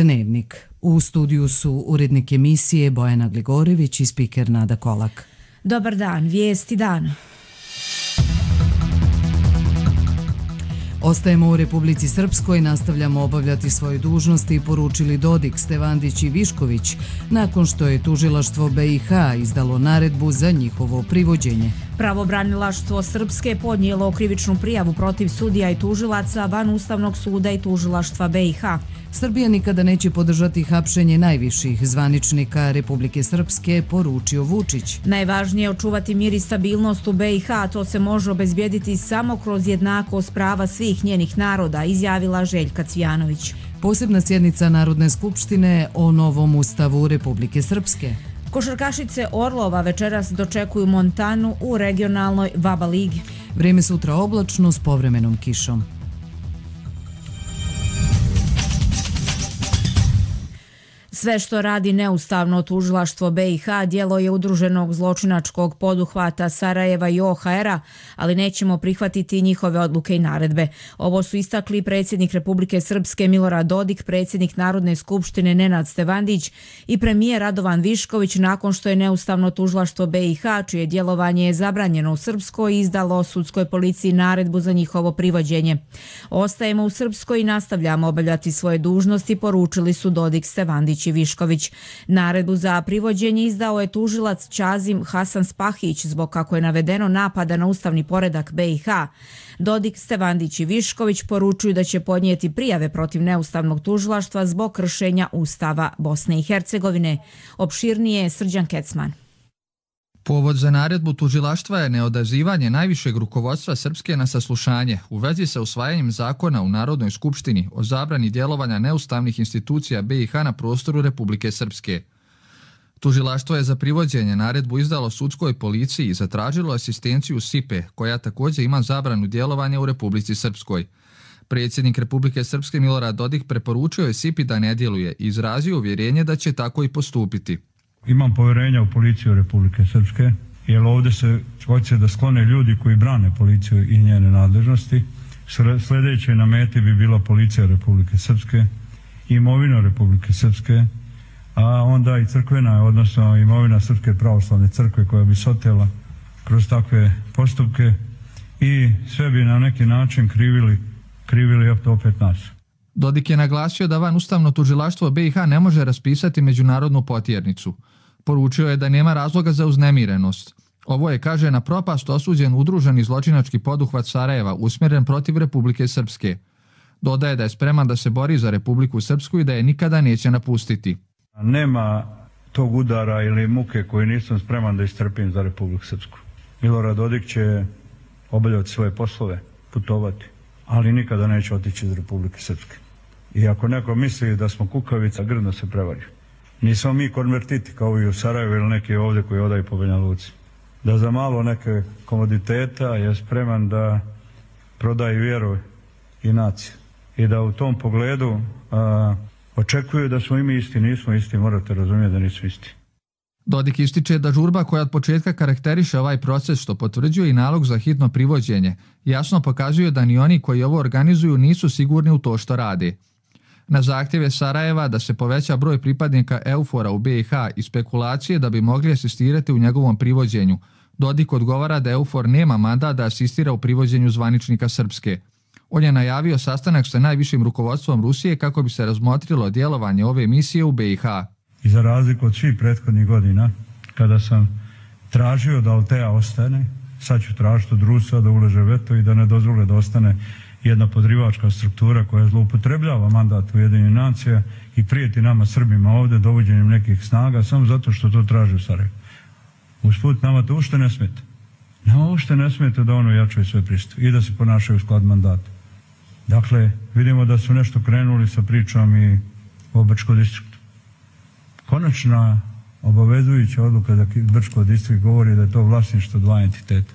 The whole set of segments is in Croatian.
Dnevnik. U studiju su urednik emisije Bojana Gligorević i spiker Nada Kolak. Dobar dan, vijesti dana. Ostajemo u Republici Srpskoj, nastavljamo obavljati svoje dužnosti, poručili Dodik, Stevandić i Višković, nakon što je tužilaštvo BiH izdalo naredbu za njihovo privođenje. Pravobranilaštvo Srpske podnijelo krivičnu prijavu protiv sudija i tužilaca van Ustavnog suda i tužilaštva BiH. Srbija nikada neće podržati hapšenje najviših zvaničnika Republike Srpske, poručio Vučić. Najvažnije je očuvati mir i stabilnost u BiH, a to se može obezbijediti samo kroz jednakost prava svih njenih naroda, izjavila Željka Cvijanović. Posebna sjednica Narodne skupštine o novom ustavu Republike Srpske. Košarkašice Orlova večeras dočekuju Montanu u regionalnoj VABA ligi. Vrijeme sutra oblačno s povremenom kišom. Sve što radi neustavno tužilaštvo BiH djelo je udruženog zločinačkog poduhvata Sarajeva i OHR-a, ali nećemo prihvatiti njihove odluke i naredbe. Ovo su istakli predsjednik Republike Srpske Milorad Dodik, predsjednik Narodne skupštine Nenad Stevandić i premijer Radovan Višković nakon što je neustavno tužilaštvo BiH, čije djelovanje je zabranjeno u Srpskoj, izdalo sudskoj policiji naredbu za njihovo privođenje. Ostajemo u Srpskoj i nastavljamo obavljati svoje dužnosti, poručili su Dodik, Stevandić i Višković. Naredbu za privođenje izdao je tužilac Ćazim Hasan Spahić zbog, kako je navedeno, napada na ustavni poredak BiH. Dodik, Stevandić i Višković poručuju da će podnijeti prijave protiv neustavnog tužilaštva zbog kršenja Ustava Bosne i Hercegovine. Opširnije Srđan Kecman. Povod za naredbu tužilaštva je neodazivanje najvišeg rukovodstva Srpske na saslušanje u vezi sa usvajanjem zakona u Narodnoj skupštini o zabrani djelovanja neustavnih institucija BiH na prostoru Republike Srpske. Tužilaštvo je za privođenje naredbu izdalo sudskoj policiji i zatražilo asistenciju SIPE, koja također ima zabranu djelovanja u Republici Srpskoj. Predsjednik Republike Srpske Milorad Dodik preporučio je SIPI da ne djeluje i izrazio uvjerenje da će tako i postupiti. Imam povjerenja u policiju Republike Srpske, jer ovdje se hoće da sklone ljudi koji brane policiju i njene nadležnosti. Sljedeće na meti bi bila policija Republike Srpske, imovina Republike Srpske, a onda i crkvena, odnosno imovina Srpske pravoslavne crkve koja bi se otela kroz takve postupke i sve bi na neki način krivili opet nas. Dodik je naglasio da van ustavno tužilaštvo BiH ne može raspisati međunarodnu potjernicu. Poručio je da nema razloga za uznemirenost. Ovo je, kaže, na propast osuđen udruženi zločinački poduhvat Sarajeva usmjeren protiv Republike Srpske. Dodaje da je spreman da se bori za Republiku Srpsku i da je nikada neće napustiti. Nema tog udara ili muke koju nisam spreman da istrpim za Republiku Srpsku. Milorad Dodik će obavljati svoje poslove, putovati, ali nikada neće otići iz Republike Srpske. I ako neko misli da smo kukavica, grdno se prevari. Nismo mi konvertiti kao i u Sarajevu ili neki ovdje koji odaju po Banja Luci. Da za malo neke komoditeta je spreman da prodaje vjeru i naciju. I da u tom pogledu očekuju da smo i mi isti. Nismo isti, morate razumjeti da nisu isti. Dodik ističe da žurba koja od početka karakteriše ovaj proces, što potvrđuje i nalog za hitno privođenje, jasno pokazuje da ni oni koji ovo organizuju nisu sigurni u to što rade. Na zahtjeve Sarajeva da se poveća broj pripadnika EUFOR-a u BiH i spekulacije da bi mogli asistirati u njegovom privođenju, Dodik odgovara da EUFOR nema mandat da asistira u privođenju zvaničnika Srpske. On je najavio sastanak sa najvišim rukovodstvom Rusije kako bi se razmotrilo djelovanje ove misije u BiH. I za razliku od svih prethodnih godina, kada sam tražio da Altea ostane, sad ću tražiti od Rusa da uleže veto i da ne dozvole da ostane jedna podrivačka struktura koja zloupotrebljava mandat Ujedinjenih nacija i prijeti nama Srbima ovdje dovođenjem nekih snaga samo zato što to traži u Sarajevu. Usput nama to ušte ne smeta. Nama ušte ne smeta da ono jačaju sve pristup i da se ponašaju u sklad mandata. Dakle, vidimo da su nešto krenuli sa pričom i o Brčkom distriktu. Konačna obavezujuća odluka da Brčko distrikt govori da je to vlasništvo dva entiteta.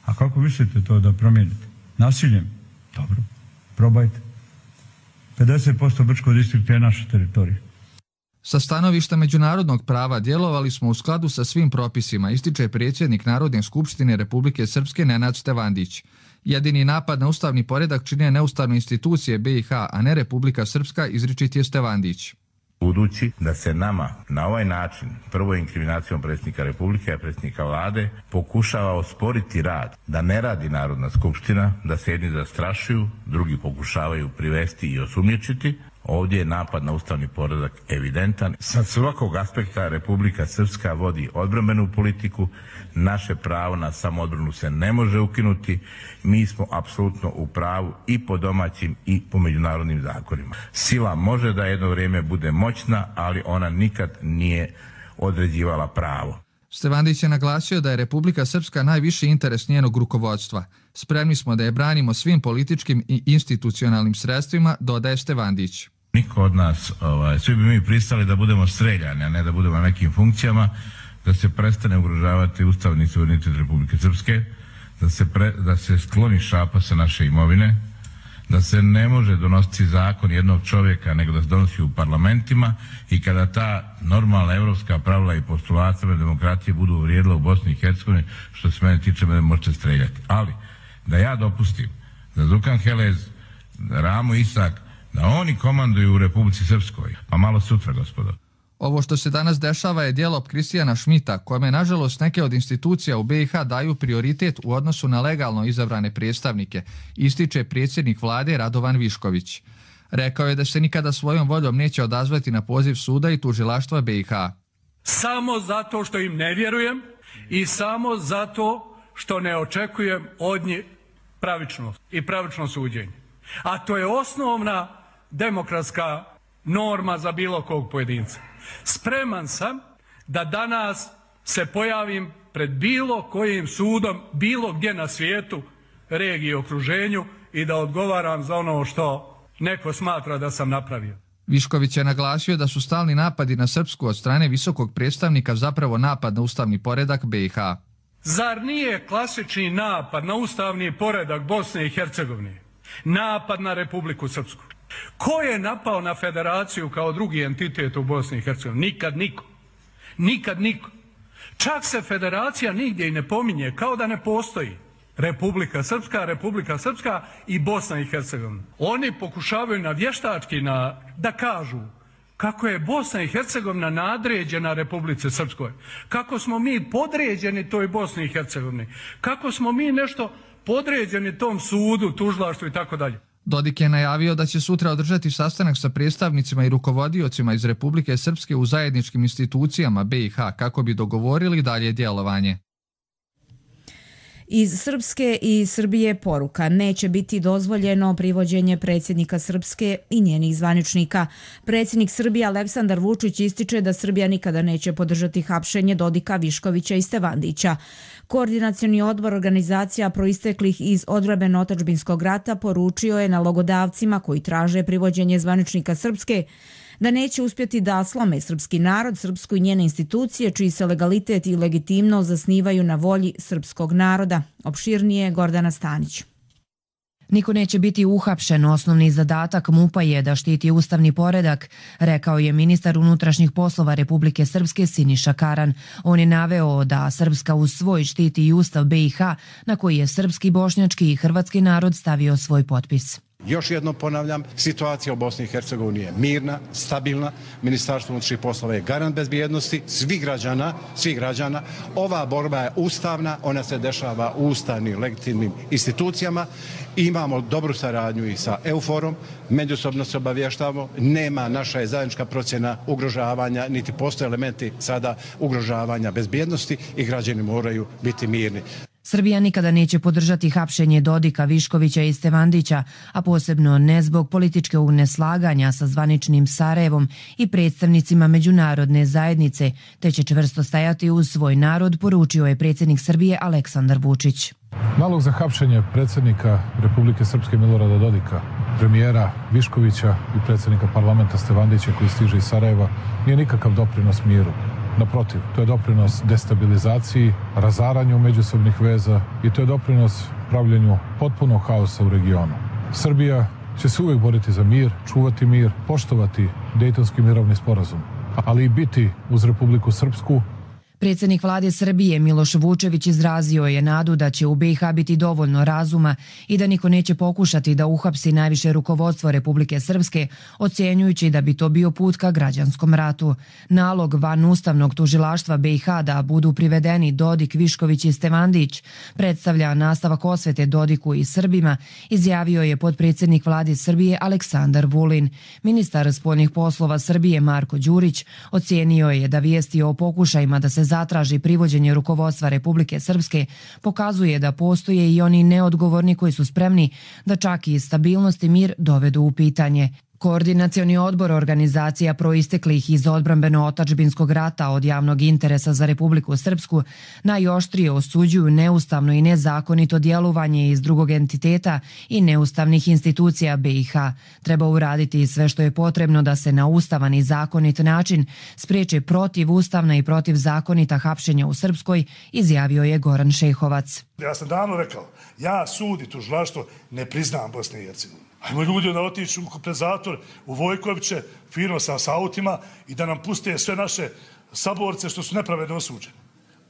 A kako mislite to da promijenite? Nasiljem? Dobro, probajte. 50% Brčkog distrikta je naša teritorija. Sa stanovišta međunarodnog prava djelovali smo u skladu sa svim propisima, ističe predsjednik Narodne skupštine Republike Srpske Nenad Stevandić. Jedini napad na ustavni poredak čine neustavne institucije BiH, a ne Republika Srpska, izričit je Stevandić. Budući da se nama na ovaj način, prvo inkriminacijom predsjednika Republike, a predsjednika vlade, pokušava osporiti rad, da ne radi Narodna skupština, da se jedni zastrašuju, drugi pokušavaju privesti i osumnjičiti, ovdje je napad na ustavni poredak evidentan. Sa svakog aspekta Republika Srpska vodi odbrambenu politiku, naše pravo na samoodbranu se ne može ukinuti, mi smo apsolutno u pravu i po domaćim i po međunarodnim zakonima. Sila može da jedno vrijeme bude moćna, ali ona nikad nije određivala pravo. Stevandić je naglasio da je Republika Srpska najviši interes njenog rukovodstva. Spremni smo da je branimo svim političkim i institucionalnim sredstvima, dodaje Stevandić. Niko od nas, svi bi mi pristali da budemo streljani, a ne da budemo na nekim funkcijama, da se prestane ugrožavati ustavni suverenitet Republike Srpske, da se skloni šapa sa naše imovine, da se ne može donositi zakon jednog čovjeka, nego da se donosi u parlamentima i kada ta normalna evropska pravila i postulata demokratije budu vrijedila u Bosni i Hercegovini, što se mene tiče, mene možete streljati. Ali, da ja dopustim da Zukan Helez, Ramo Isak, da oni komanduju u Republici Srpskoj, pa malo sutra, gospodo. Ovo što se danas dešava je djelo Kristijana Šmita, kome nažalost neke od institucija u BiH daju prioritet u odnosu na legalno izabrane predstavnike, ističe predsjednik vlade Radovan Višković. Rekao je da se nikada svojom voljom neće odazvati na poziv suda i tužilaštva BiH. Samo zato što im ne vjerujem i samo zato što ne očekujem od njih pravičnost i pravično suđenje. A to je osnovna demokratska norma za bilo kog pojedinca. Spreman sam da danas se pojavim pred bilo kojim sudom, bilo gdje na svijetu, regiji i okruženju i da odgovaram za ono što neko smatra da sam napravio. Višković je naglasio da su stalni napadi na Srpsku od strane visokog predstavnika zapravo napad na ustavni poredak BiH. Zar nije klasični napad na ustavni poredak Bosne i Hercegovine napad na Republiku Srpsku? Ko je napao na federaciju kao drugi entitet u Bosni i Hercegovini? Nikad niko. Nikad niko. Čak se federacija nigdje i ne pominje, kao da ne postoji. Republika Srpska i Bosna i Hercegovina. Oni pokušavaju na vještački da kažu kako je Bosna i Hercegovina nadređena Republici Srpskoj. Kako smo mi podređeni toj Bosni i Hercegovini. Kako smo mi nešto podređeni tom sudu, tužilaštvu i tako dalje. Dodik je najavio da će sutra održati sastanak sa predstavnicima i rukovodiocima iz Republike Srpske u zajedničkim institucijama BiH kako bi dogovorili dalje djelovanje. Iz Srpske i Srbije poruka: neće biti dozvoljeno privođenje predsjednika Srpske i njenih zvaničnika. Predsjednik Srbije Aleksandar Vučić ističe da Srbija nikada neće podržati hapšenje Dodika, Viškovića i Stevandića. Koordinacioni odbor organizacija proisteklih iz odbrambeno-otadžbinskog rata poručio je nalogodavcima koji traže privođenje zvaničnika Srpske da neće uspjeti da slome srpski narod, Srpsku i njene institucije, čiji se legalitet i legitimnost zasnivaju na volji srpskog naroda. Opširnije Gordana Stanić. Niko neće biti uhapšen, osnovni zadatak MUP-a je da štiti ustavni poredak, rekao je ministar unutrašnjih poslova Republike Srpske Siniša Karan. On je naveo da Srpska uz svoj štiti i ustav BiH, na koji je srpski, bošnjački i hrvatski narod stavio svoj potpis. Još jednom ponavljam, situacija u Bosni i Hercegovini je mirna, stabilna, Ministarstvo unutrašnjih poslova je garant bezbjednosti svih građana. Ova borba je ustavna, ona se dešava u ustavnim, legitimnim institucijama. Imamo dobru saradnju i sa EUFOR-om, međusobno se obavještavamo, nema, naša je zajednička procjena ugrožavanja, niti postoje elementi sada ugrožavanja bezbjednosti i građani moraju biti mirni. Srbija nikada neće podržati hapšenje Dodika, Viškovića i Stevandića, a posebno ne zbog političkog neslaganja sa zvaničnim Sarajevom i predstavnicima međunarodne zajednice, te će čvrsto stajati uz svoj narod, poručio je predsjednik Srbije Aleksandar Vučić. Nalog za hapšenje predsjednika Republike Srpske Milorada Dodika, premijera Viškovića i predsjednika parlamenta Stevandića koji stiže iz Sarajeva nije nikakav doprinos miru. Naprotiv, to je doprinos destabilizaciji, razaranju međusobnih veza i to je doprinos pravljenju potpunog haosa u regionu. Srbija će se uvijek boriti za mir, čuvati mir, poštovati Dejtonski mirovni sporazum, ali i biti uz Republiku Srpsku. Predsjednik vlade Srbije Miloš Vučević izrazio je nadu da će u BiH biti dovoljno razuma i da niko neće pokušati da uhapsi najviše rukovodstvo Republike Srpske, ocjenjujući da bi to bio put ka građanskom ratu. Nalog van ustavnog tužilaštva BiH da budu privedeni Dodik, Višković i Stevandić predstavlja nastavak osvete Dodiku i Srbima, izjavio je potpredsjednik vlade Srbije Aleksandar Vulin. Ministar spoljnih poslova Srbije Marko Đurić ocjenio je da vijesti o pokušajima da se zatraži privođenje rukovodstva Republike Srpske pokazuje da postoje i oni neodgovorni koji su spremni da čak i stabilnost i mir dovedu u pitanje. Koordinacioni odbor organizacija proisteklih iz odbrambeno-otačbinskog rata od javnog interesa za Republiku Srpsku najoštrije osuđuju neustavno i nezakonito djelovanje iz drugog entiteta i neustavnih institucija BiH. Treba uraditi sve što je potrebno da se na ustavan i zakonit način spriječe protivustavna i protivzakonita hapšenja u Srpskoj, izjavio je Goran Šehovac. Ja sam davno rekao, ja sud i tužilaštvo ne priznam Bosne i Hercegovine. Ajmo ljudi da otiču pred zatvor u Vojkoviće, fino sa autima i da nam puste sve naše saborce što su nepravedno osuđeni.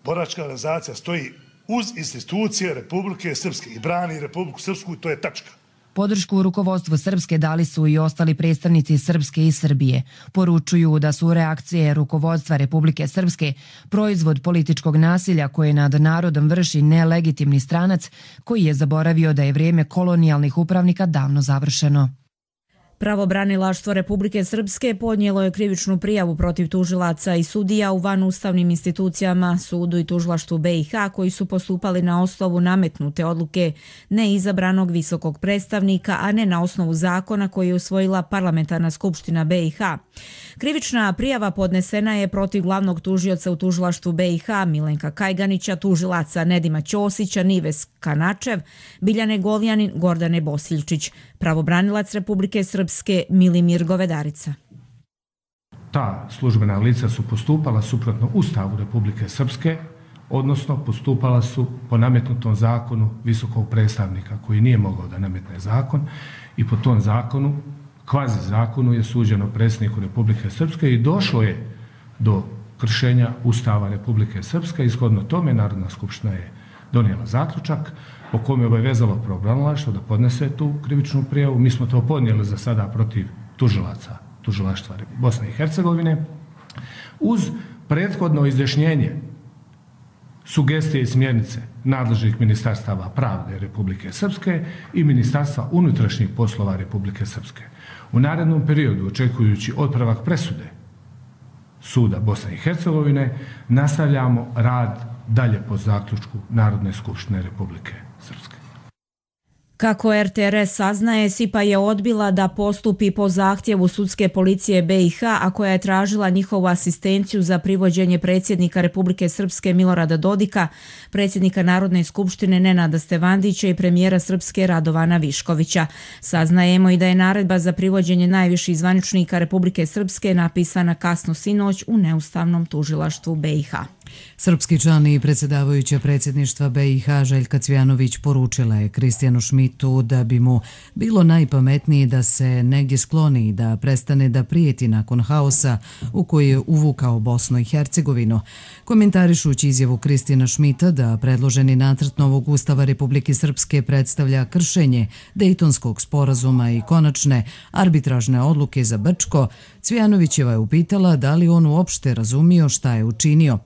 Boračka organizacija stoji uz institucije Republike Srpske i brani Republiku Srpsku i to je tačka. Podršku rukovodstvu Srpske dali su i ostali predstavnici Srpske i Srbije. Poručuju da su reakcije rukovodstva Republike Srpske proizvod političkog nasilja koje nad narodom vrši nelegitimni stranac koji je zaboravio da je vrijeme kolonijalnih upravnika davno završeno. Pravobranilaštvo Republike Srpske podnijelo je krivičnu prijavu protiv tužilaca i sudija u vanustavnim institucijama, sudu i tužilaštvu BiH koji su postupali na osnovu nametnute odluke neizabranog visokog predstavnika, a ne na osnovu zakona koji je usvojila Parlamentarna skupština BiH. Krivična prijava podnesena je protiv glavnog tužioca u tužilaštvu BiH Milenka Kajganića, tužilaca Nedima Ćosića, Nives Kanačev, Biljane Goljanin, Gordane Bosiljčić. Pravobranilac Republike Srpske Milimir Govedarica. Ta službena lica su postupala suprotno Ustavu Republike Srpske, odnosno postupala su po nametnutom zakonu visokog predstavnika koji nije mogao da nametne zakon i po tom zakonu, kvazi zakonu, je suđeno predsjedniku Republike Srpske i došlo je do kršenja Ustava Republike Srpske. Ishodno tome Narodna skupština je donijela zaključak po kome je obavezalo pravobranilaštvo da podnese tu krivičnu prijavu. Mi smo to podnijeli za sada protiv tužilaca tužilaštva Bosne i Hercegovine uz prethodno izjašnjenje, sugestije i smjernice nadležnih ministarstava pravde Republike Srpske i Ministarstva unutrašnjih poslova Republike Srpske. U narednom periodu, očekujući otpravak presude suda Bosne i Hercegovine, nastavljamo rad dalje po zaključku Narodne skupštine Republike Srpske. Kako RTRS saznaje, SIPA je odbila da postupi po zahtjevu sudske policije BiH, a koja je tražila njihovu asistenciju za privođenje predsjednika Republike Srpske Milorada Dodika, predsjednika Narodne skupštine Nenada Stevandića i premijera Srpske Radovana Viškovića. Saznajemo i da je naredba za privođenje najviših zvaničnika Republike Srpske napisana kasno sinoć u neustavnom tužilaštvu BiH. Srpski član i predsjedavajuća predsjedništva BiH Željka Cvijanović poručila je Kristijanu Šmitu da bi mu bilo najpametnije da se negdje skloni i da prestane da prijeti nakon haosa u koji je uvukao Bosnu i Hercegovinu. Komentarišući izjavu Kristijana Šmita da predloženi nacrt novog Ustava Republike Srpske predstavlja kršenje Dejtonskog sporazuma i konačne arbitražne odluke za Brčko, Cvijanovićeva je upitala da li on uopšte razumio šta je učinio.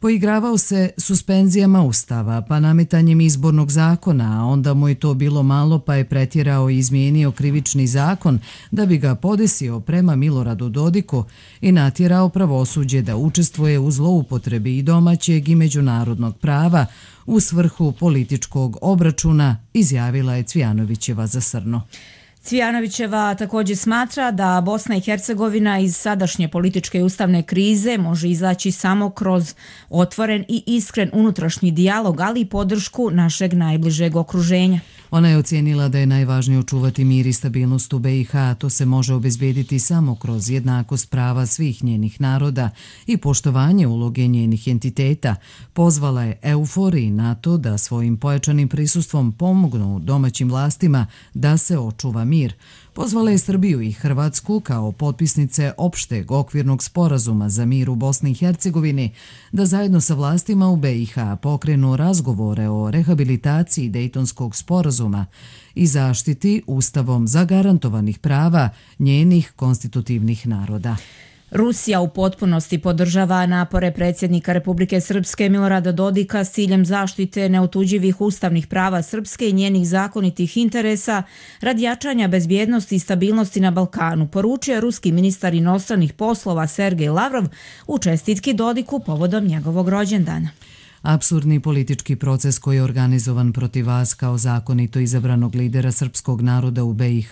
Poigravao se suspenzijama Ustava, pa nametanjem izbornog zakona, a onda mu je to bilo malo pa je pretjerao i izmijenio krivični zakon da bi ga podesio prema Miloradu Dodiku i natjerao pravosuđe da učestvuje u zloupotrebi i domaćeg i međunarodnog prava u svrhu političkog obračuna, izjavila je Cvijanovićeva za Srno. Cvijanovićeva također smatra da Bosna i Hercegovina iz sadašnje političke i ustavne krize može izaći samo kroz otvoren i iskren unutrašnji dijalog, ali i podršku našeg najbližeg okruženja. Ona je ocijenila da je najvažnije očuvati mir i stabilnost u BiH, a to se može obezbediti samo kroz jednakost prava svih njenih naroda i poštovanje uloge njenih entiteta. Pozvala je EUFOR i NATO da svojim pojačanim prisustvom pomognu domaćim vlastima da se očuva mir. Pozvala je Srbiju i Hrvatsku kao potpisnice opšteg okvirnog sporazuma za mir u Bosni i Hercegovini da zajedno sa vlastima u BiH pokrenu razgovore o rehabilitaciji Dejtonskog sporazuma i zaštiti ustavom zagarantovanih prava njenih konstitutivnih naroda. Rusija u potpunosti podržava napore predsjednika Republike Srpske Milorada Dodika s ciljem zaštite neotuđivih ustavnih prava Srpske i njenih zakonitih interesa radi jačanja bezbjednosti i stabilnosti na Balkanu, poručio ruski ministar inostranih poslova Sergej Lavrov u čestitki Dodiku povodom njegovog rođendana. Apsurdni politički proces koji je organizovan protiv vas kao zakonito izabranog lidera srpskog naroda u BiH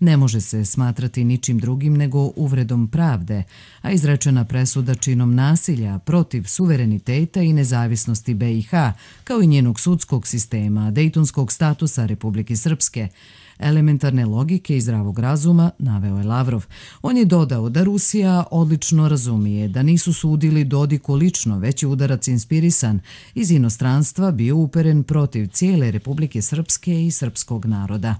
ne može se smatrati ničim drugim nego uvredom pravde, a izrečena presuda činom nasilja protiv suvereniteta i nezavisnosti BiH, kao i njenog sudskog sistema, dejtonskog statusa Republike Srpske, elementarne logike i zdravog razuma, naveo je Lavrov. On je dodao da Rusija odlično razumije da nisu sudili Dodiku lično, već je udarac inspirisan iz inostranstva bio uperen protiv cijele Republike Srpske i srpskog naroda.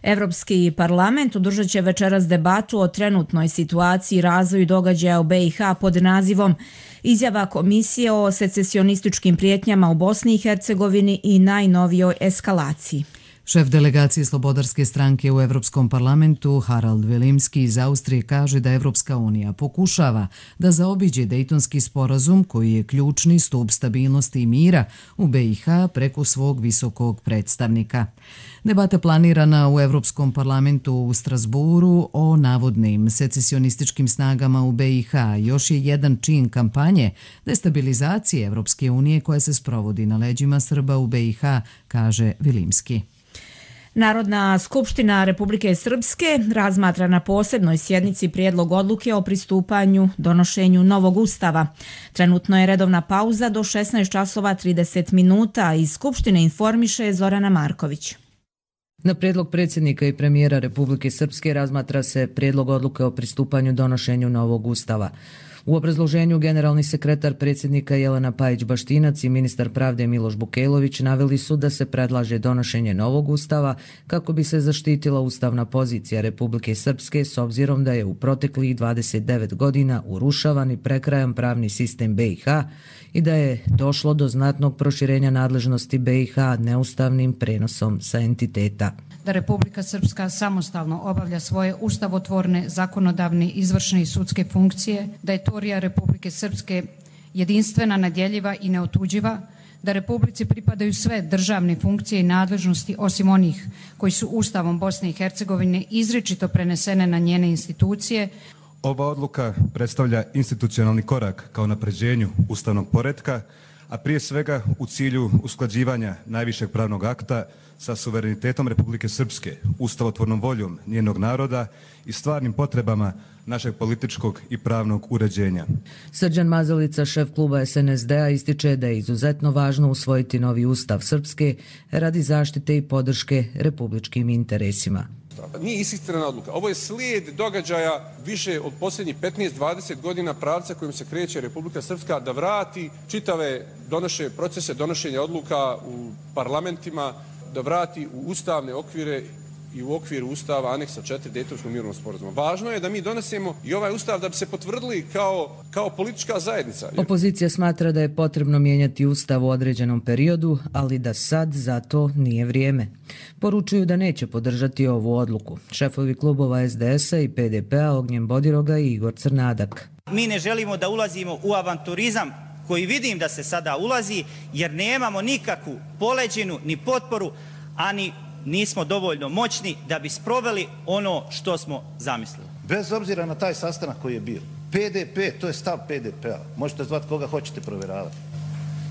Evropski parlament održat će večeras debatu o trenutnoj situaciji i razvoju događaja u BiH pod nazivom Izjava Komisije o secesionističkim prijetnjama u Bosni i Hercegovini i najnovijoj eskalaciji. Šef delegacije Slobodarske stranke u Evropskom parlamentu Harald Vilimski iz Austrije kaže da Evropska unija pokušava da zaobiđe Dejtonski sporazum koji je ključni stup stabilnosti i mira u BiH preko svog visokog predstavnika. Debata planirana u Evropskom parlamentu u Strasburu o navodnim secesionističkim snagama u BiH još je jedan čin kampanje destabilizacije Evropske unije koja se sprovodi na leđima Srba u BiH, kaže Vilimski. Narodna skupština Republike Srpske razmatra na posebnoj sjednici prijedlog odluke o pristupanju donošenju novog ustava. Trenutno je redovna pauza do 16:30. Iz Skupštine informiše Zorana Marković. Na prijedlog predsjednika i premijera Republike Srpske razmatra se prijedlog odluke o pristupanju donošenju novog ustava. U obrazloženju generalni sekretar predsjednika Jelena Pajić-Baštinac i ministar pravde Miloš Bukelović naveli su da se predlaže donošenje novog ustava kako bi se zaštitila ustavna pozicija Republike Srpske s obzirom da je u proteklih 29 godina urušavan i prekrajan pravni sistem BiH i da je došlo do znatnog proširenja nadležnosti BiH neustavnim prenosom sa entiteta. Da Republika Srpska samostalno obavlja svoje ustavotvorne, zakonodavne, izvršne i sudske funkcije, da je teritorija Republike Srpske jedinstvena, nedjeljiva i neotuđiva, da Republici pripadaju sve državne funkcije i nadležnosti osim onih koji su Ustavom Bosne i Hercegovine izričito prenesene na njene institucije. Ova odluka predstavlja institucionalni korak ka unapređenju ustavnog poretka, a prije svega u cilju usklađivanja najvišeg pravnog akta sa suverenitetom Republike Srpske, ustavotvornom voljom njenog naroda i stvarnim potrebama našeg političkog i pravnog uređenja. Srđan Mazalica, šef kluba SNSD-a, ističe da je izuzetno važno usvojiti novi ustav Srpske radi zaštite i podrške republičkim interesima. Nije ishitrena odluka. Ovo je slijed događaja više od posljednjih 15-20 godina pravca kojim se kreće Republika Srpska da vrati čitave procese donošenja odluka u parlamentima, da vrati u ustavne okvire i u okviru ustava aneksa 4 Dejtonskog mirovnog sporazuma. Važno je da mi donesemo i ovaj ustav da bi se potvrdili kao politička zajednica. Opozicija smatra da je potrebno mijenjati ustav u određenom periodu, ali da sad za to nije vrijeme. Poručuju da neće podržati ovu odluku. Šefovi klubova SDS-a i PDP-a Ognjen Bodiroga i Igor Crnadak. Mi ne želimo da ulazimo u avanturizam koji vidim da se sada ulazi, jer nemamo nikakvu poleđinu ni potporu, ani nismo dovoljno moćni da bi sproveli ono što smo zamislili. Bez obzira na taj sastanak koji je bio, PDP, to je stav PDP-a. Možete zvati koga hoćete provjeravati.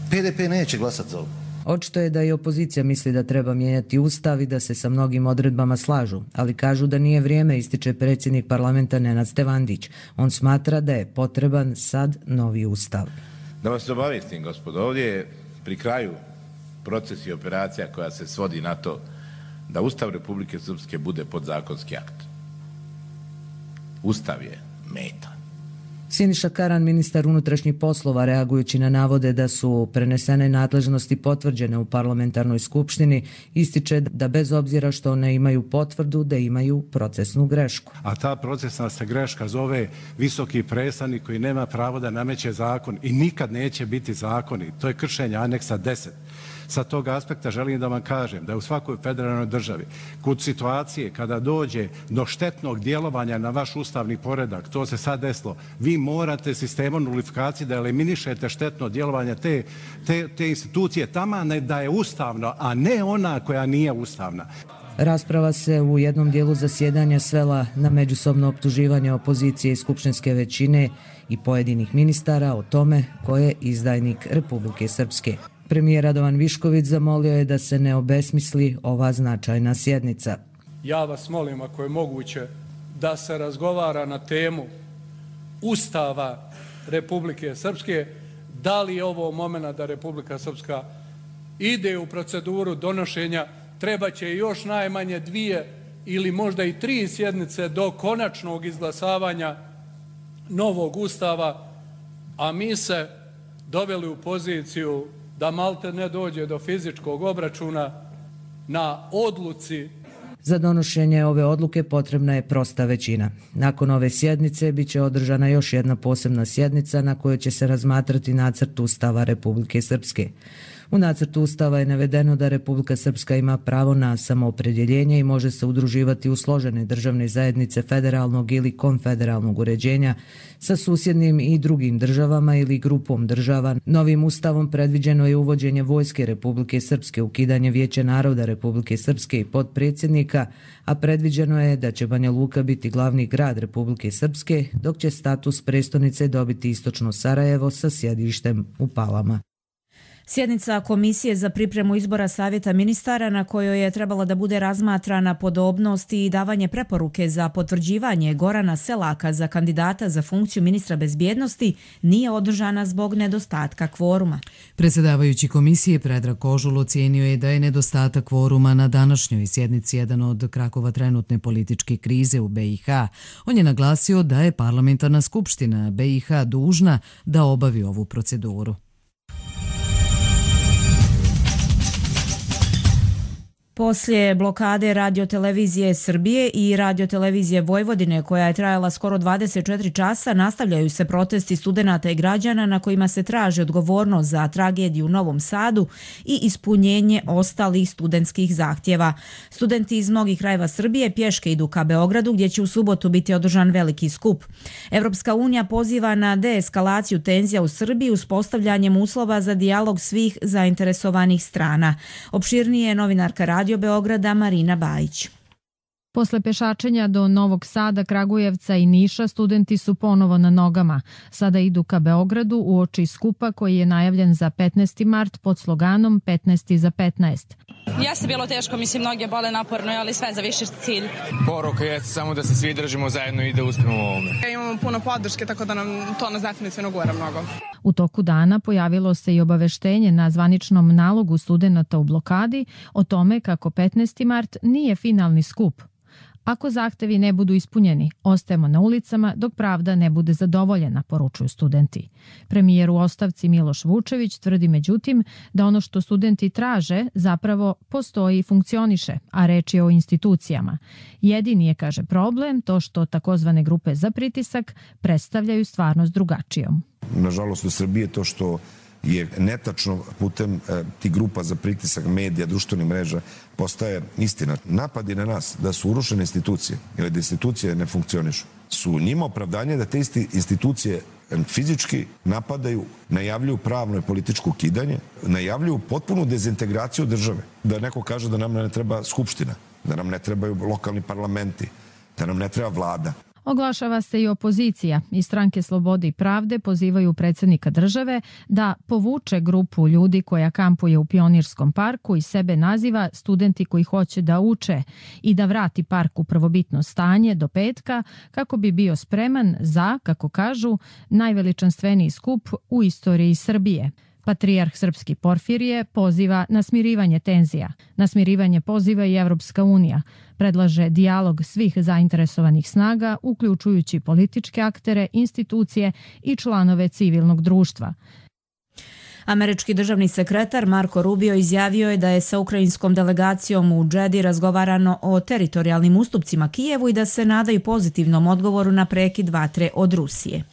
PDP neće glasati za ovo. Očito je da i opozicija misli da treba mijenjati ustav i da se sa mnogim odredbama slažu, ali kažu da nije vrijeme, ističe predsjednik parlamenta Nenad Stevandić. On smatra da je potreban sad novi ustav. Da vas obavijestim, gospodo, ovdje je pri kraju proces i operacija koja se svodi na to da Ustav Republike Srpske bude podzakonski akt. Ustav je meta. Siniša Karan, ministar unutrašnjih poslova, reagujući na navode da su prenesene nadležnosti potvrđene u parlamentarnoj skupštini, ističe da bez obzira što ne imaju potvrdu, da imaju procesnu grešku. A ta procesna se greška zove visoki predstavnik koji nema pravo da nameće zakon i nikad neće biti zakoni. To je kršenje aneksa 10. Sa tog aspekta želim da vam kažem da u svakoj federalnoj državi, kod situacije kada dođe do štetnog djelovanja na vaš ustavni poredak, to se sad desilo, vi morate sistemom nulifikacije da eliminišete štetno djelovanje te institucije taman da je ustavno, a ne ona koja nije ustavna. Rasprava se u jednom dijelu zasjedanja svela na međusobno optuživanje opozicije i skupštinske većine i pojedinih ministara o tome ko je izdajnik Republike Srpske. Premijer Radovan Višković zamolio je da se ne obesmisli ova značajna sjednica. Ja vas molim, ako je moguće, da se razgovara na temu Ustava Republike Srpske, da li je ovo moment da Republika Srpska ide u proceduru donošenja, treba će još najmanje 2 ili možda i 3 sjednice do konačnog izglasavanja novog Ustava, a mi se doveli u poziciju da malte ne dođe do fizičkog obračuna na odluci. Za donošenje ove odluke potrebna je prosta većina. Nakon ove sjednice biće održana još jedna posebna sjednica na kojoj će se razmatrati nacrt Ustava Republike Srpske. U nacrtu Ustava je navedeno da Republika Srpska ima pravo na samoopredjeljenje i može se udruživati u složene državne zajednice federalnog ili konfederalnog uređenja sa susjednim i drugim državama ili grupom država. Novim Ustavom predviđeno je uvođenje Vojske Republike Srpske, ukidanje Vijeća naroda Republike Srpske i potpredsjednika, a predviđeno je da će Banja Luka biti glavni grad Republike Srpske, dok će status prestonice dobiti istočno Sarajevo sa sjedištem u Palama. Sjednica Komisije za pripremu izbora Savjeta ministara na kojoj je trebala da bude razmatrana podobnost i davanje preporuke za potvrđivanje Gorana Selaka za kandidata za funkciju ministra bezbjednosti nije održana zbog nedostatka kvoruma. Predsjedavajući komisije Predrag Kožul ocijenio je da je nedostatak kvoruma na današnjoj sjednici jedan od krakova trenutne političke krize u BiH. On je naglasio da je parlamentarna skupština BiH dužna da obavi ovu proceduru. Poslije blokade Radiotelevizije Srbije i Radiotelevizije Vojvodine, koja je trajala skoro 24 časa, nastavljaju se protesti studenata i građana na kojima se traži odgovornost za tragediju u Novom Sadu i ispunjenje ostalih studentskih zahtjeva. Studenti iz mnogih krajeva Srbije pješke idu ka Beogradu, gdje će u subotu biti održan veliki skup. Evropska unija poziva na deeskalaciju tenzija u Srbiji uspostavljanjem uslova za dijalog svih zainteresovanih strana. Opširnije je novinarka Radio Beograda Marina Bajić. Posle pešačenja do Novog Sada, Kragujevca i Niša, studenti su ponovo na nogama. Sada idu ka Beogradu uoči skupa koji je najavljen za 15. mart pod sloganom 15. za 15. Jeste bilo teško, mislim, mnoge bole naporno, ali sve za viši cilj. Poruka je samo da se svi držimo zajedno i da uspemo u ovome. Imamo puno podrške, tako da nam to nas definitivno gura mnogo. U toku dana pojavilo se i obaveštenje na zvaničnom nalogu studenata u blokadi o tome kako 15. mart nije finalni skup. Ako zahtevi ne budu ispunjeni, ostajemo na ulicama dok pravda ne bude zadovoljena, poručuju studenti. Premijer u ostavci Miloš Vučević tvrdi međutim da ono što studenti traže zapravo postoji i funkcioniše, a reč je o institucijama. Jedini je, kaže, problem to što takozvane grupe za pritisak predstavljaju stvarnost drugačijom. Nažalost u Srbiji je to što je netačno putem tih grupa za pritisak medija, društvenih mreža postaje istina. Napadi na nas da su urušene institucije ili da institucije ne funkcionišu su njima opravdanje da te institucije fizički napadaju, najavljuju pravno i političko ukidanje, najavljuju potpunu dezintegraciju države. Da neko kaže da nam ne treba skupština, da nam ne trebaju lokalni parlamenti, da nam ne treba vlada. Oglašava se i opozicija. Iz Stranke Slobode i pravde pozivaju predsjednika države da povuče grupu ljudi koja kampuje u Pionirskom parku i sebe naziva studenti koji hoće da uče i da vrati park u prvobitno stanje do petka kako bi bio spreman za, kako kažu, najveličanstveniji skup u istoriji Srbije. Patrijarh srpski Porfirije poziva na smirivanje tenzija. Na smirivanje poziva i Evropska unija. Predlaže dijalog svih zainteresovanih snaga, uključujući političke aktere, institucije i članove civilnog društva. Američki državni sekretar Marko Rubio izjavio je da je sa ukrajinskom delegacijom u Džedi razgovarano o teritorijalnim ustupcima Kijevu i da se nadaju pozitivnom odgovoru na prekid vatre od Rusije.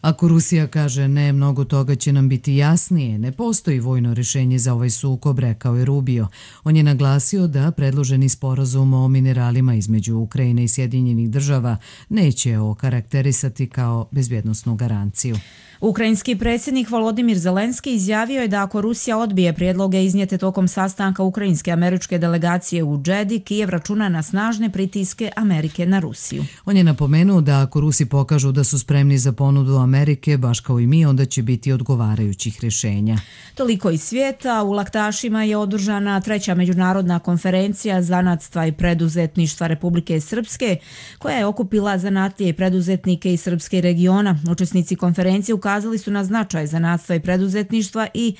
Ako Rusija kaže ne, mnogo toga će nam biti jasnije. Ne postoji vojno rješenje za ovaj sukob, rekao je Rubio. On je naglasio da predloženi sporazum o mineralima između Ukrajine i Sjedinjenih država neće okarakterisati kao bezbjednosnu garanciju. Ukrajinski predsjednik Volodimir Zelenski izjavio je da ako Rusija odbije prijedloge iznijete tokom sastanka ukrajinske američke delegacije u Džedi, Kijev računa na snažne pritiske Amerike na Rusiju. On je napomenuo da ako Rusi pokažu da su spremni za ponudu Amerike, baš kao i mi, onda će biti odgovarajućih rješenja. Toliko iz svijeta. U Laktašima je održana 3. međunarodna konferencija zanatstva i preduzetništva Republike Srpske, koja je okupila zanatlije i preduzetnike iz Srpske regiona. Učesnici konferencije ukazali su na značaj zanatstva i preduzetništva i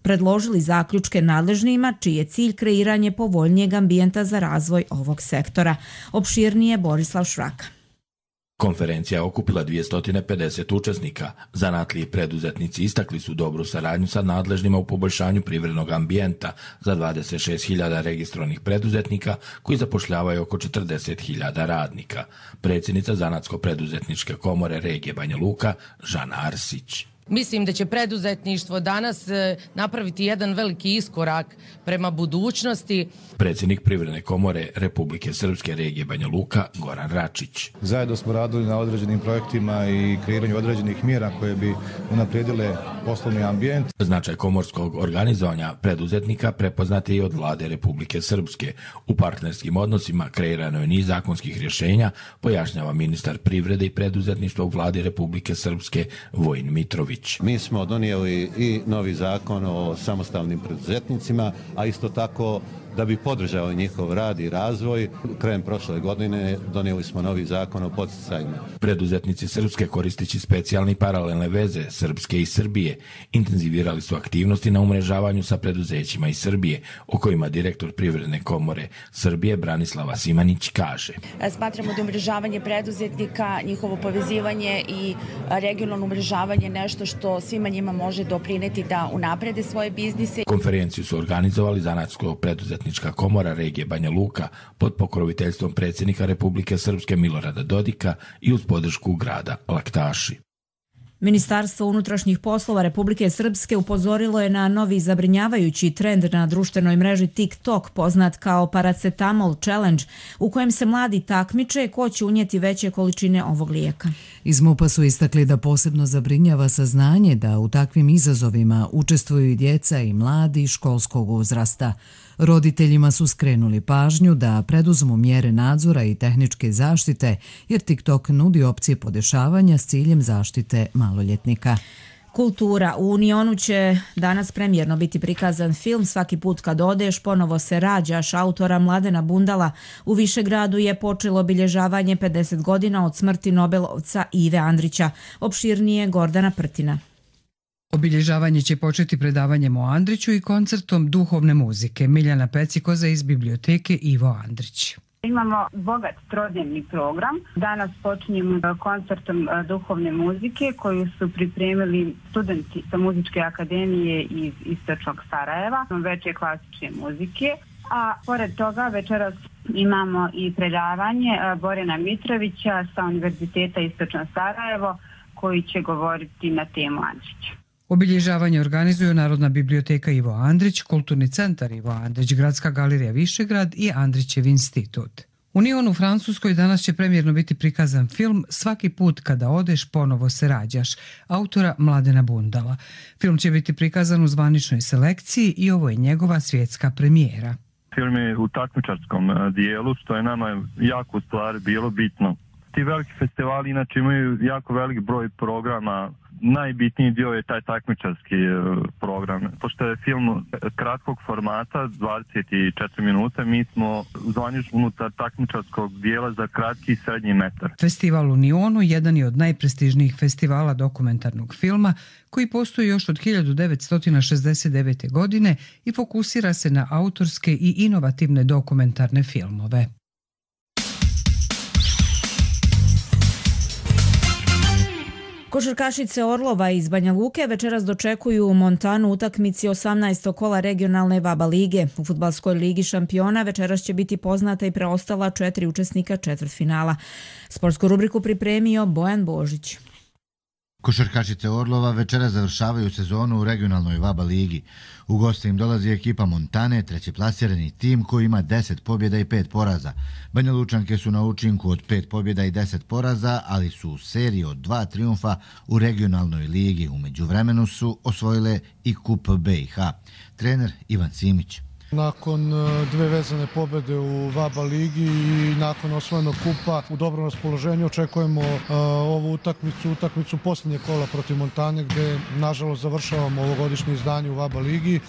predložili zaključke nadležnima, čiji je cilj kreiranje povoljnijeg ambijenta za razvoj ovog sektora. Opširnije Borislav Švraka. Konferencija je okupila 250 učesnika. Zanatliji i preduzetnici istakli su dobru saradnju sa nadležnima u poboljšanju privrednog ambijenta za 26.000 registrovanih preduzetnika koji zapošljavaju oko 40.000 radnika. Predsjednica Zanatsko-preduzetničke komore regije Banja Luka, Žana Arsić. Mislim da će preduzetništvo danas napraviti jedan veliki iskorak prema budućnosti. Predsjednik Privredne komore Republike Srpske regije Banja Luka, Goran Račić. Zajedno smo radili na određenim projektima i kreiranju određenih mjera koje bi unaprijedile poslovni ambijent. Značaj komorskog organizovanja preduzetnika prepoznat je i od vlade Republike Srpske. U partnerskim odnosima kreirano je niz zakonskih rješenja, pojašnjava ministar privrede i preduzetništva u vladi Republike Srpske Vojin Mitrović. Mi smo donijeli i novi zakon o samostalnim preduzetnicima, a isto tako da bi podržali njihov rad i razvoj. Krajem prošle godine donijeli smo novi zakon o podsticajima. Preduzetnici Srpske, koristeći specijalne i paralelne veze Srpske i Srbije, intenzivirali su aktivnosti na umrežavanju sa preduzećima iz Srbije, o kojima direktor Privredne komore Srbije Branislava Simanić kaže. Smatramo da umrežavanje preduzetnika, njihovo povezivanje i regionalno umrežavanje nešto što svima njima može doprineti da unaprede svoje biznise. Konferenciju su organizovali Zanatsko-preduzetnička komora regije Banja Luka pod pokroviteljstvom predsjednika Republike Srpske Milorada Dodika i uz podršku grada Laktaši. Ministarstvo unutrašnjih poslova Republike Srpske upozorilo je na novi zabrinjavajući trend na društvenoj mreži TikTok, poznat kao Paracetamol Challenge, u kojem se mladi takmiče ko će unijeti veće količine ovog lijeka. Iz MUP-a su istakli da posebno zabrinjava saznanje da u takvim izazovima učestvuju i djeca i mladi školskog uzrasta. Roditeljima su skrenuli pažnju da preduzmu mjere nadzora i tehničke zaštite, jer TikTok nudi opcije podešavanja s ciljem zaštite maloljetnika. Kultura. U Unionu će danas premijerno biti prikazan film Svaki put kad odeš, ponovo se rađaš, autora Mladena Bundala. U Višegradu je počelo obilježavanje 50 godina od smrti Nobelovca Ive Andrića. Opširnije Gordana Prtina. Obilježavanje će početi predavanjem o Andriću i koncertom duhovne muzike. Miljana Pecikoza iz biblioteke Ivo Andrić. Imamo bogat trodnevni program. Danas počinjemo koncertom duhovne muzike koju su pripremili studenti sa Muzičke akademije iz Istočnog Sarajeva, veče klasične muzike. A pored toga večeras imamo i predavanje Borena Mitrovića sa Univerziteta Istočno Sarajevo koji će govoriti na temu Andrića. Obilježavanje organizuju Narodna biblioteka Ivo Andrić, Kulturni centar Ivo Andrić, Gradska galerija Višegrad i Andrićev institut. U Nionu u Francuskoj danas će premijerno biti prikazan film Svaki put kada odeš, ponovo se rađaš, autora Mladena Bundala. Film će biti prikazan u zvaničnoj selekciji i ovo je njegova svjetska premijera. Film je u takmičarskom dijelu, što je nama jako u stvari bilo bitno. Ti veliki festivali inače imaju jako velik broj programa. Najbitniji dio je taj takmičarski program. Pošto je film kratkog formata, 24 minuta, mi smo zvanično unutar takmičarskog dijela za kratki i srednji metar. Festival u Nionu jedan je od najprestižnijih festivala dokumentarnog filma koji postoji još od 1969. godine i fokusira se na autorske i inovativne dokumentarne filmove. Košarkašice Orlova iz Banja Luke večeras dočekuju u Montanu utakmici 18. kola regionalne VABA lige. U fudbalskoj ligi šampiona večeras će biti poznata i preostala 4 učesnika četvrtfinala. Sportsku rubriku pripremio Bojan Božić. Košarkašice Orlova večera završavaju sezonu u regionalnoj VABA ligi. U goste im dolazi ekipa Montane, trećeplasirani tim koji ima 10 pobjeda i 5 poraza. Banja Lučanke su na učinku od 5 pobjeda i 10 poraza, ali su u seriji od 2 trijumfa u regionalnoj ligi. U međuvremenu su osvojile i kup BiH. Trener Ivan Simić. Nakon dve vezane pobjede u VABA ligi i nakon osvojenog kupa u dobrom raspoloženju očekujemo ovu utakmicu posljednje kola protiv Montane gdje nažalost završavamo ovogodišnje izdanje u VABA ligi.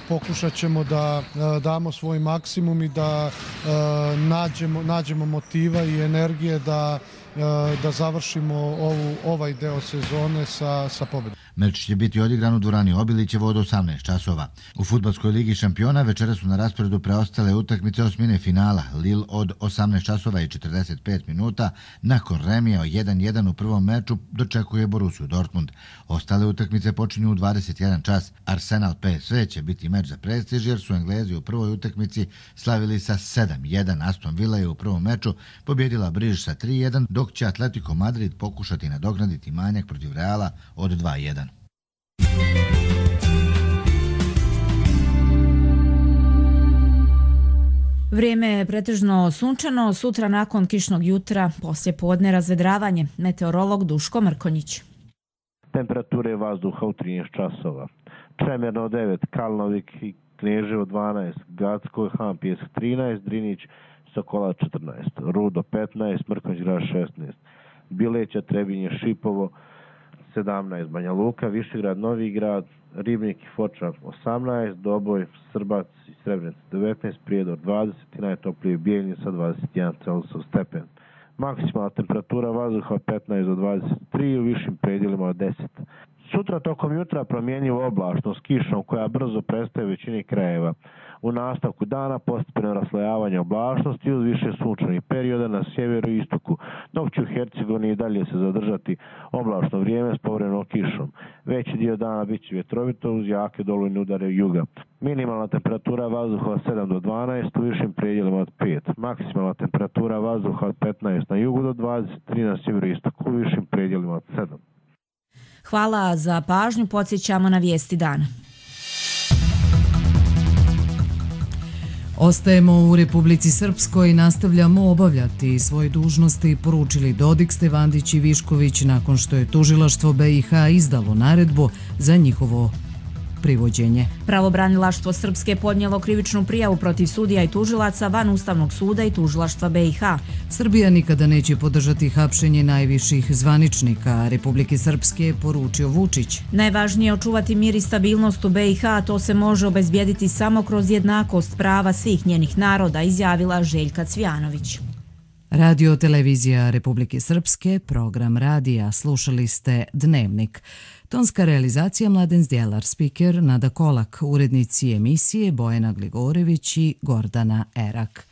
Pokušat ćemo da damo svoj maksimum i da nađemo motiva i energije da završimo ovaj deo sezone sa pobjedom. Meč će biti odigran u dvorani Obilićevo od 18 časova. U fudbalskoj ligi šampiona večera su na rasporedu preostale utakmice osmine finala. Lille od 18 časova i 45 minuta nakon remija 1-1 u prvom meču dočekuje Borussiju Dortmund. Ostale utakmice počinju u 21 čas. Arsenal PSV će biti meč za prestiž jer su Englezi u prvoj utakmici slavili sa 7-1. Aston Villa je u prvom meču pobjedila Briž sa 3-1, dok će Atletico Madrid pokušati nadoknaditi manjak protiv Reala od 2-1. Vrijeme je pretežno sunčano, sutra nakon kišnog jutra, poslije podne razvedravanje. Meteorolog Duško Mrkonjić. Temperature vazduha u 13 časova. Čemerno 9, Kalnovik i Kneževo 12, Gacko i Han Pjesak 13, Drinić, Sokola 14, Rudo 15, Mrkonjić Grad 16, Bileća, Trebinje, Šipovo 17, Banja Luka, Višegrad, Novi Grad, Ribnik i Foča 18, Doboj, Srbac i Srebrenica 19, Prijedor 20 i najtoplije Bijeljin sa 21 Celsius stepen. Maksimalna temperatura vazduha 15 do 23, u višim predjelima od 10. Sutra tokom jutra promjenjivo oblačno s kišom koja brzo prestaje u većini krajeva. U nastavku dana postepeno raslojavanje oblačnosti uz više sunčanih perioda na sjeveru i istoku, dok će u Hercegovini i dalje se zadržati oblačno vrijeme s povremenom kišom. Veći dio dana bit će vjetrovito uz jake dolujne udare juga. Minimalna temperatura vazduha od 7 do 12, u višim predjelima od 5. Maksimalna temperatura vazduha od 15 na jugu do 23 na sjeveru i istoku, u višim predjelima od 7. Hvala za pažnju, podsjećamo na vijesti dana. Ostajemo u Republici Srpskoj i nastavljamo obavljati svoje dužnosti, poručili Dodik, Stevandić i Višković nakon što je tužilaštvo BiH izdalo naredbu za njihovo privođenje. Pravobranilaštvo Srpske podnijelo krivičnu prijavu protiv sudija i tužilaca van Ustavnog suda i tužilaštva BiH. Srbija nikada neće podržati hapšenje najviših zvaničnika Republike Srpske, poručio Vučić. Najvažnije je očuvati mir i stabilnost u BiH, a to se može obezbijediti samo kroz jednakost prava svih njenih naroda, izjavila Željka Cvijanović. Radio Televizija Republike Srpske, program radija, slušali ste Dnevnik. Tonska realizacija Mladen Zdjelar, spiker Nada Kolak, urednici emisije Bojana Gligorević i Gordana Erak.